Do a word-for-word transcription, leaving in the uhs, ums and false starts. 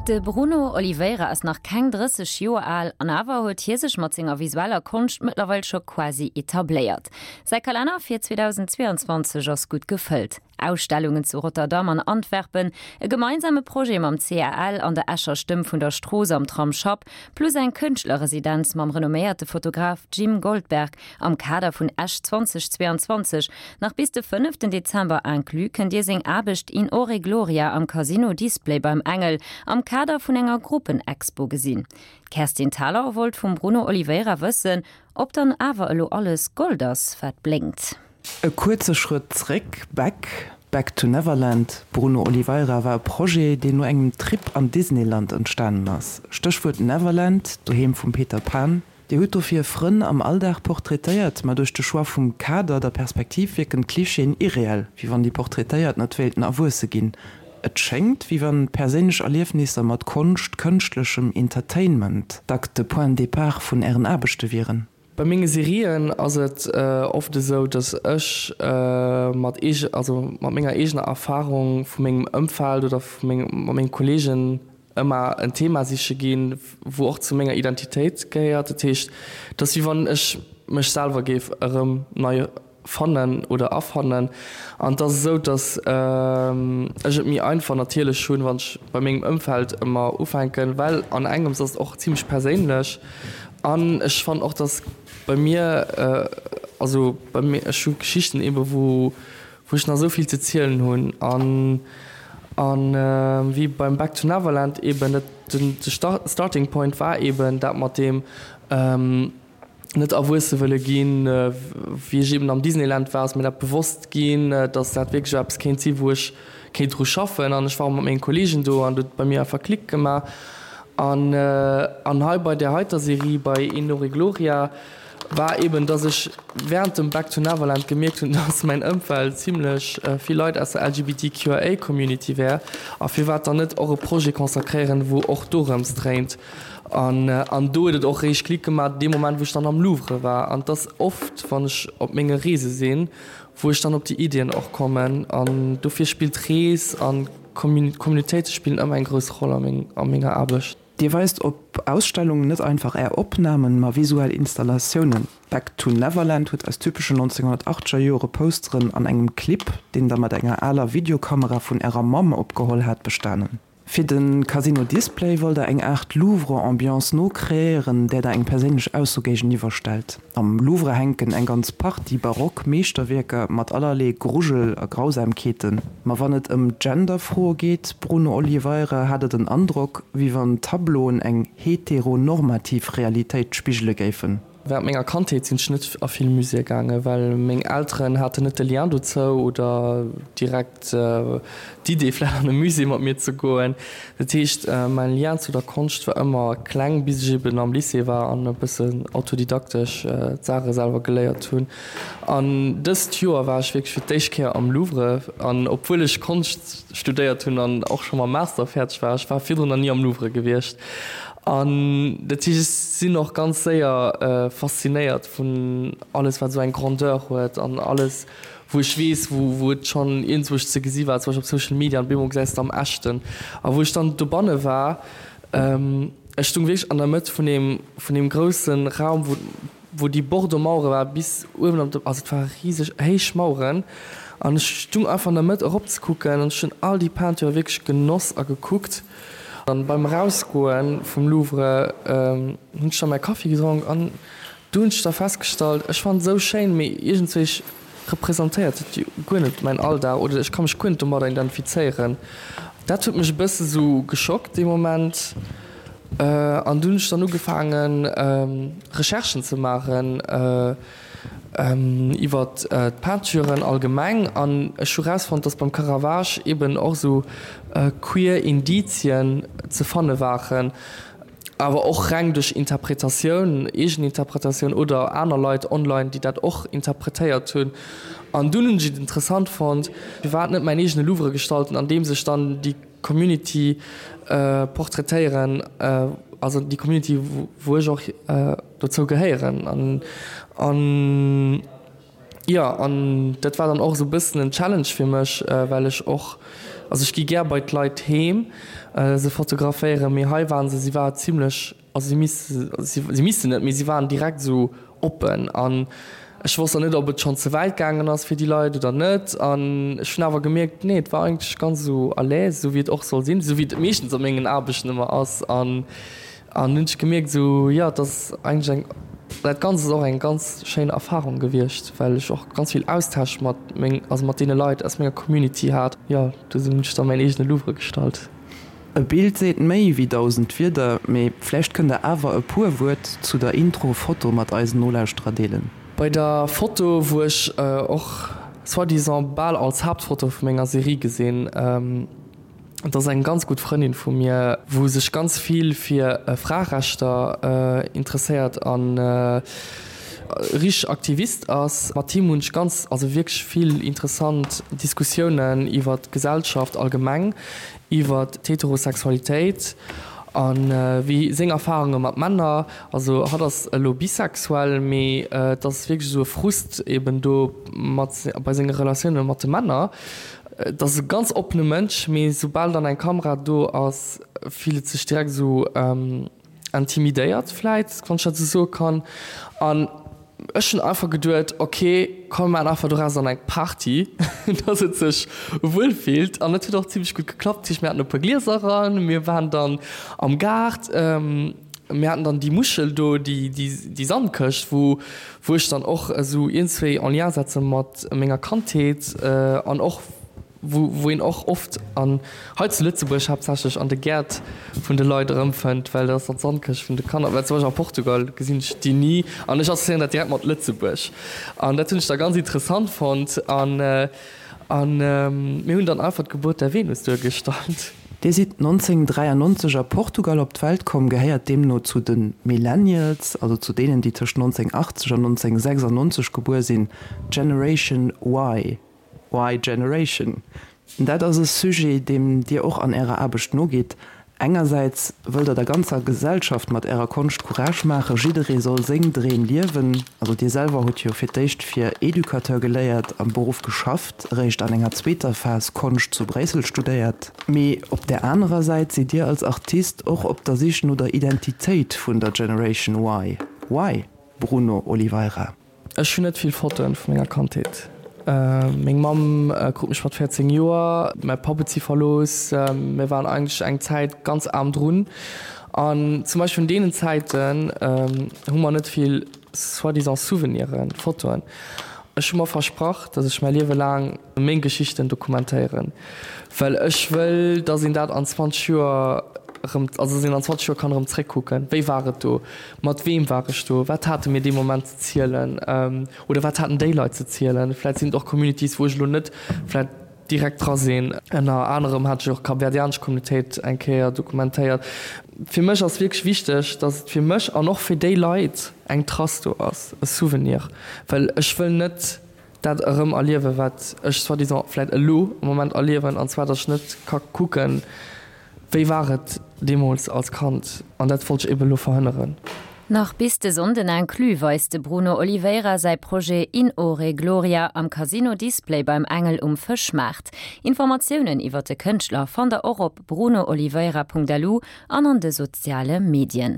De Bruno Oliveira ass nach keng drësseg Joer al, an awer huet hie sech mat senger visueller Konscht mëttlerweil scho quasi etabléiert. Säi Kalenner fir zweedausenzweeanzwanzeg ass gutt gefëllt, Ausstellungen zu Rotterdam an Antwerpen, e gemeinsame Projet mam C A L an der Escher Stëmm vun der Strooss am Tramsschapp, plus eng Kënschtlerresidenz mam renomméierte Fotograf Jim Goldberg am Kader vun Esch zweedausenzweeanzwanzeg. Nach bis de fënneften Dezember inclus kënnt Dir seng Aarbecht In Ore Gloria am Casino Display beim Engel am Kader vun enger Gruppenexpo gesinn. D'Kerstin Thalau wollt vum Bruno Oliveira wëssen, ob dann awer elo alles Gold ass, wat blénkt. E kuerze Schrëtt zréck, Back, Back to Neverland, Bruno Oliveira, war e Projet, deen no engem Trip an Disneyland entstanen ass. Stéchwuert Neverland, doheem vum Peter Pan. Dir hutt dofir Frënn am Alldag portraitéiert, ma duerch de Choix vum Kader, der Perspektiv wierken d'Klischeeën irreell, wéi wann déi Portraitéiert net wéilten erwuesse ginn. Et schéngt, wéi wann perséinlech Erliefnisser mat Konscht, kënschtlechem Entertainment dack de Point de départ vun Ären Aarbechte wieren. Bei menge Serien ass et oft esou, datt ech mat eege, also mat menger eegener Erfarung vu mengem Ëmfeld oder vu mengem, mat menge Kolleegen ëmmer en Thema siche ginn, wou och zu menger Identitéit gehéiert. Dat heescht, et ass wéi wann ech mech selwer géif erëm nei fannen oder afannen. An et ass esou, datt ech et méi einfach natierlech hunn, wann ech bei mengem Ëmfeld ëmmer ufänken, well an engems ass et och zimlech perséinlech. An ech fannen och, datt bei mir, also bei mir, ech hu Geschichten eebe wou wou ech nach esou vill ze zielen hunn. An an wéi beim Back to Neverland eeben, dat den de Starting Point war eeben dat mat deem, net erwuesse wëlle ginn. Wéi ech eben am Disneyland war, ass mir dat bewosst ginn, dass dat wierklech eppes kéint sinn, wou ech kéint dru schaffen. An ech war och mat menge Kolleegen do an et huet bei mir einfach Klick gemaach. An an hei bei där heiter Serie, bei Inore Gloria, war eben, dass ech während dem Back to Neverland gemierkt hunn, dass mäin Ëmfeld zimlech vill Leit aus der L G B T Q I A Community wär a firwat dann net och e Projet consacréieren, wou och dorëms dréint. An an do huet et och réischt Klick gemaach, dee Moment wou ech dann am Louvre war. An et ass oft, wann ech op menge Reese sinn, wou ech dann op déi Iddien och kommen. An dofir spillt d'Rees an Communitéite spillen ëmmer eng grouss Roll a meng a menger Aarbecht. Dir weist op Ausstellungen net einfach Är Opnamen, ma visuell Installatiounen. Back to Neverland huet aus typeschen nonzénghonnertaachtzeger Jore Posteren an engem Clip, deen Der mat enger aler Videokamera vun Ärer Mamm opgeholl hat, bestanen. Fir de Casino Display wollt Der eng Aart Louvre-Ambiance nokreéieren, där Der eng perséinlech Ausso géigeniwwer stellt. Am Louvre hänken eng ganz Partie barock Meeschterwierker mat allerlee Grujel a Grausamkeeten. Ma wann et ëm Gender-Froe geet, Bruno Oliveira, hat et en Androck, wéi wann d'Tableauen eng heteronormativ Realitéit spigele géifen. Während menger Kandheet sinn ech net a vill Muséeë gaangen, well meng Elteren haten net de Lien dozou oder direkt d'Idee vläicht an e Musée mat mir ze goen. Dat heescht, mäin Lien zu der Konscht war ëmmer kleng, bis ech eben am Lycée war an e bëssen autodidaktesch d'Saache selwer geléiert hunn. An dëst Joer war ech wierklech fir d'éischt Kéier am Louvre an obwuel ech Konscht studéiert hunn an och scho mam Master fäerdeg war, ech war virdrun nach ni am Louvre gewiescht. An dat heescht, ech sinn och ganz séier faszinéiert vun alles, wat esou eng Grandeur huet an alles, wou ech weess, wou wou et schonn iergendzwousch ze gesi war, zum Beispill op Social Media, an op eemol gesäis de am Echten. A wou ech dann dobanne war, ech stung wierklech an der Mëtt vun deem vun deem grousse Raum, wou wou déi Bordeaux-Mauere war bis uewen op de, also et ware riseg héich Maueren, an ech stung einfach an der Mëtt eropzekucken an ech hunn all déi Peinture wierklech genoss a gekuckt. An beim Erausgoe vum Louvre hunn ech da mäi Kaffi gedronk an du hunn ech da festgestallt, ech fannen et esou schéin, mee iergendzwéi representéiert et jo guer net mäin Alldag oder ech ka mech guer net domadder identifizéieren. Dat huet mech e bësse sou geschockt dee Moment an du hunn ech dann ugefaangen Recherchen ze maachen iwwer d'Peinturen allgemeng an ech hu rausfonnt, dass beim Caravage eben och sou queer Indizien ze fanne waren, awer och reng duerch Interpretatioun, Eegeninterpretatioun oder aner Leit online, déi dat och interpretéiert hunn. An dunn hunn ech et interessant fonnt, firwat net mäin eegene Louvre gestalten, andeems ech dann déi Community portraitéieren, also déi Community, wou ech och dozou gehéieren. An, an jo, an dat war dann och esou e bëssen en Challenge fir mech, well ech och Also ech gi gär bei d'Leit heem se fotograféieren, mee hei waren se, si war zimlech, also si misste, si missten net, mee si waren direkt esou oppen an ech wosst dann net, ob et schonn ze wäit gaangen ass fir déi Leit oder net an ech hunn awer gemierkt, nee, et war eigentlech ganz esou à l'aise, esou wéi et och soll sinn, esou wéi et meeschtens a mengen Aarbechten ëmmer ass an An hunn ech gemierkt esou, jo, et ass eigentlech eng, dat Ganzt ass och eng ganz schéin Erfarung gewiescht, well ech och ganz vill Austausch mat meng, also mat deene Leit aus menger Community hat. Jo, do hunn ech da mäin eegene Louvre gestallt. E Bild seet méi wéi dausend Wierder, mee vläicht kënnt der awer e puer Wuert zu der Intro-Foto mat eisen Nolauschterer deelen. Bei der Foto, wou ech och soi-disant bal als Haaptfoto vu menger Serie gesinn, Et ass eng ganz gutt Frëndin vu mir, wou sech ganz vill fir Fraerechter interesséiert an richteg Aktivist ass. Mat him hunn ech ganz, also wierklech vill interessant Diskussiounen iwwer d'Gesellschaft allgemeng, iwwer d'Heterosexualitéit a wéi seng Erfarunge mat Männer. Also hatt ass elo bisexuell, mee et ass wierklech esou e Frust eben do mat bei senge Relatioune mat de Männer. Et ass e ganz oppene Mënsch, mee soubal dann eng Kamera do ass, fillt et sech direkt esou intimidéiert vläit, wann ech dat esou soe kann. An ech hunn einfach geduet, ok, komm mir maachen einfach doraus dann eng Party, dass et sech wuel fillt. An et huet och zimlech gutt geklappt. Dat heescht, mir haten e puer Glieser eran, mir waren dann am Gaart, mir haten dann déi Muschel do, déi Sandkëscht, wou wou ech dann och esou iergendzwéi en Lien setze mat menger Kandheet an och wou wou een och oft an hei zu Lëtzebuerg haaptsächlech an de Gäert vun de Leit erëmfënnt, well dat ass dann d'Sandkëscht vun de Kanner, well zum Beispill a Portugal gesinn ech déi ni an ech assoziéieren dat direkt mat Lëtzebuerg an dat hunn ech da ganz interessant fonnt an an mir hunn dann einfach d'Geburt der Venus duergestallt. Dir sidd nonzénhunnertdräiannonzeg a Portugal op d'Welt komm, gehéiert deemno zu de Millennials, also zu deenen, déi tëscht nonzénhunnertachtzeg an nonzénhunnertsechsannonzeg gebuer sinn, Generation Y, Y-Generation. Dat ass e Sujet, deem Dir och an Ärer Aarbecht nogitt. Engersäits wëllt Der der ganzer Gesellschaft mat Ärer Konscht Courage maachen, jidderee soll seng Dreem liewen. Also Dir selwer hutt jo fir d'éischt fir Educateur geléiert, am Beruff geschafft, eréischt an enger zweeter Phas Konscht zu Bréissel studéiert. Mee op där anerer Säit sidd Dir als Artist och op der Sich no der Identitéit vun der Generation Y. Why, Bruno Oliveira? Ech hunn net vill Fotoen vu menger Kandheet. Meng Mamm krut mech mat véierzéng Joer, mäi Papp huet si verlooss. Mir waren eigentlech eng Zäit ganz aarm drun. An zum Beispill vun deenen Zäiten hu mer net vill soi-disant Souveniren, Fotoen. Ech hu mer versprach, datt ech mäi Liewe laang meng Geschichten dokumentéieren, well ech wëll, datt een dat an zwanzeg Joer erëm, also datt een an zwanzeg Joer kann erëm zréckkucken, wéi war et do, mat weem war ech do, wat hate mir dee Moment ze zielen oder wat haten déi Leit ze zielen. Vläit sinn et och Communities, wou ech elo net vläit direkt dra sinn. Ënner anerem hat ech och d'kapverdianesch Communautéit eng Kéier dokumentéiert. Fir mech ass wierklech wichteg, datt et fir mech an och fir déi Leit eng Trace do ass, e Souvenir, well ech wëll net dat erëm erliewen, wat ech soi-disant vläit elo am Moment erliewen, an zwar, datt ech net ka kucken, wéi war et deemools als Kand, an dat wollt ech eben elo verhënneren. Nach bis de Sonnden inclus weist de Bruno Oliveira säi Projet In Ore Gloria am Casino Display beim Engel um Fëschmaart. Informatiounen iwwer de Kënschtler fannt der och op brunooliveira.lu an an de soziale Medien.